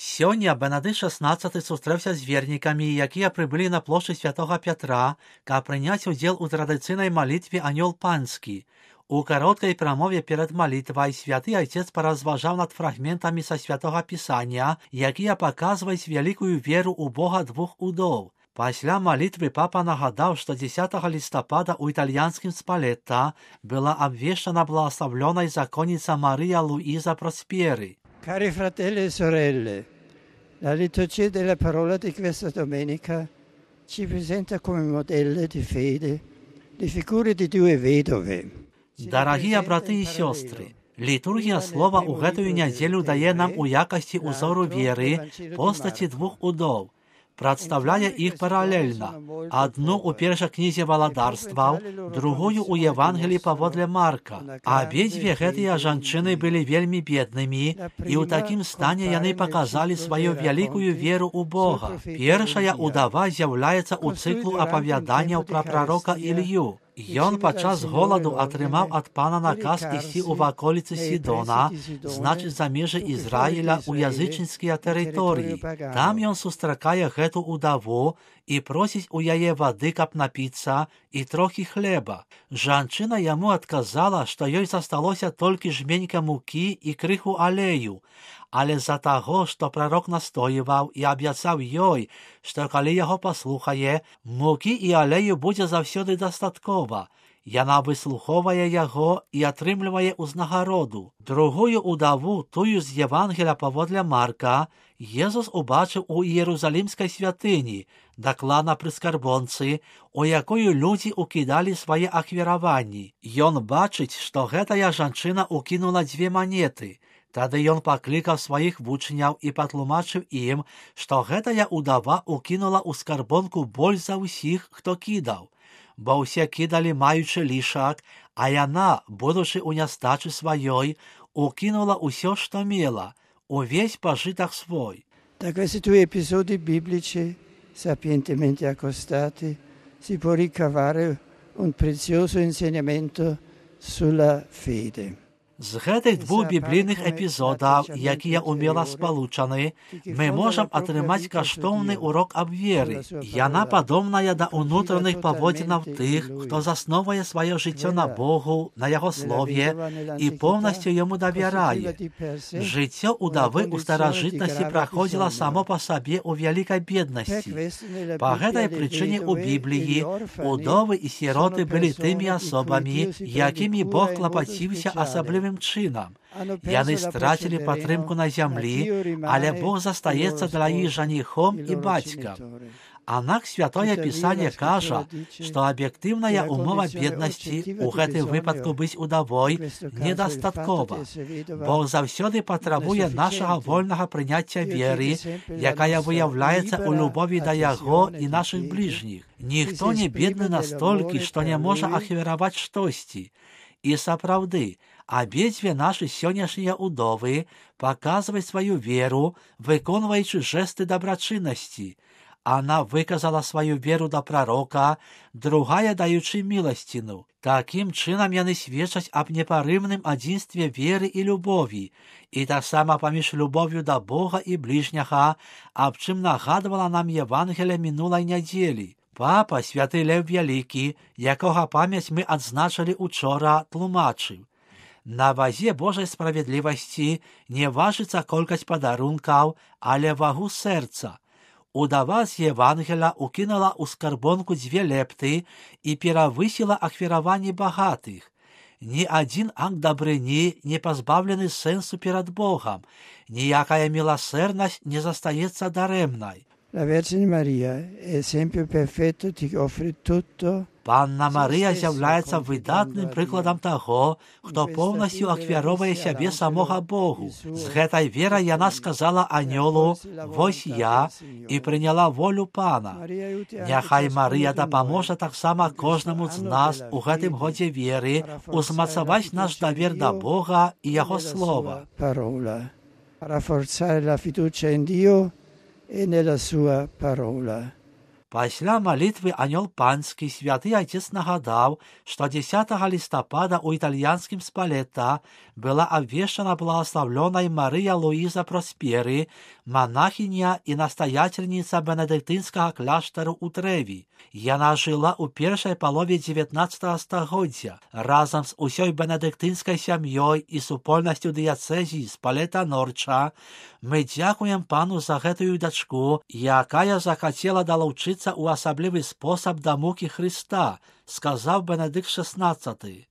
Сёння Бенедикт XVI сустрэўся з вернікамі, якія прыбылі на плошчу Святога Пятра, каб прыняць удзел у традыцыйнай малітве «Анёл панскі». У кароткай прамове перад малітвай святы айцец паразважаў над фрагментамі са Святога Пісання, якія паказваюць вялікую веру ў Бога двух удоў. Пасля малітвы папа нагадаў, што 10 лістапада ў італьянскім Спалетта была абвешчана благословлёнай законніца Марія Луіза Просперы. Cari fratelli e sorelle, la liturgia della parola di questa domenica ci presenta come modelle di fede le figure di due vedove. Дарагія браты і сёстры, літургія слова ў гэтую нядзелю дае нам у якасці ўзору веры постаці двух удоў, прадстаўляе іх паралельна. Адну ў першай кнізе валадарстваў, другую ў Евангеліі паводле Марка. Абедзве гэтыя жанчыны былі вельмі беднымі, і ў такім стане яны паказалі сваю вялікую веру ў Бога. Першая ўдава з'яўляецца ў цыклу апавяданняў пра прарока Ілью. Ён падчас голаду атрымаў ад пана наказ ісці ў ваколіцы Сідона, значыць за межы Ізраіля ў язычніцкія тэрыторыі. Там ён сустракае гэту ўдаву і просіць у яе вады, каб напіцца, і трохі хлеба. Жанчына яму адказала, што ёй засталося толькі жменька мукі і крыху алею, але з-за таго, што прарок настоюваў і абяцаў ёй, што калі яго паслухае, мукі і алею будзе заўсёды дастаткова. Яна выслухоўвае яго і атрымлівае ўзнагароду. Другую ўдаву, тую з Евангеля паводле Марка, Езус убачыў у Іерусалімскай святыні, дакладна пры скарбонцы, у якую людзі укідалі свае ахвяраванні. Ён бачыць, што гэтая жанчына укінула 2 манеты. Тады ён паклікаў сваіх вучняў і патлумачыў ім, што гэтая ўдава укінула ў скарбонку больш за ўсіх, хто кідаў. Бо ўсе кідалі маючы лішак, а яна, будучы ў нястачы сваёй, укінула ўсё, што мела, увесь пажытак свой. Da questi due episodi biblici, sapientemente accostati, si può ricavare un prezioso insegnamento sulla fede. З гэтых двух біблійных эпізодаў, якія умела спалучаны, мы можам атрымаць каштоўны урок аб веры. Яна падобная да ўнутраных паводзінаў тых, хто засновае сваё жыццё на Богу, на яго слове і поўнасцю яму давярае. Жыццё ўдавы ў старажытнасці праходзіла само па сабе ў вялікай беднасці. Па гэтай прычыне ў Бібліі удовы і сіроты былі тымі асобамі, якімі Бог клапаціўся асаблівым чынам. Яны страцілі падтрымку на зямлі, але Бог застаецца для іх жаніхом і бацькам. Аднак Святое Пісанне кажа, што аб'ектыўная ўмова беднасці, у гэтым выпадку быць удавой, недастаткова. Бог заўсёды патрабуе нашага вольнага прыняцця веры, якая выяўляецца ў любові да яго і нашых бліжніх. Ніхто не бедны настолькі, што не можа ахвяраваць штосьці. І сапраўды, абедзве нашы сённяшнія ўдовы паказваюць сваю веру, выконваючы жэсты дабрачыннасці. Она выказала сваю веру да прарока, другая даючы міласціну. Такім чынам яны сведчаць аб непарыўным адзінстве веры і любові, і таксама паміж любов'ю да Бога і бліжняга, аб чым нагадвала нам Евангелие мінулай нядзелі. Папа, святы Лев Вялікі, якога памяць мы адзначылі учора, тлумачыў. На вазе Божай справядлівасці не важыцца колькасць падарункаў, але вагу сэрца. Удава з Евангеля укінула ў скарбонку 2 лепты і перавысіла ахвяраванні багатых. Ні адзін акт дабрыні не пазбаўлены сэнсу перад Богам, ніякая міласэрнасць не застаецца дарэмнай. La Vergine Maria è esempio perfetto di offrire tutto. Панна Марыя з'яўляецца выдатным прыкладам таго, хто поўнасцю ахвяровае сябе самога Богу. З гэтай верай яна сказала анёлу: «Вось я», і прыняла волю Пана. Няхай Марыя дапаможа таксама кожнаму з нас у гэтым годзе веры узмацаваць наш давер да Бога і яго слова. Rafforzare la fiducia in Dio e nella sua parola. Пасля малітвы анёл панскі святы отец нагадаў, што 10 лістапада ў італьянскім Спалета была абвешчана благословленай Марыя Луіза Проспері, монахиня і настоятельніца бенедыктынскага кляштару ў Трэві. Яна жыла ў першай палове 19 стагоддзя. Разам з усёй бенедыктынскай сям'ёй і супольнасцю дыяцэзіі Спалета-Норча мы дзякуем пану за гэтую дачку, якая захацела далучыцца ў асаблівы спосаб да мукі Хрыста, сказаў Бенедыкт XVI.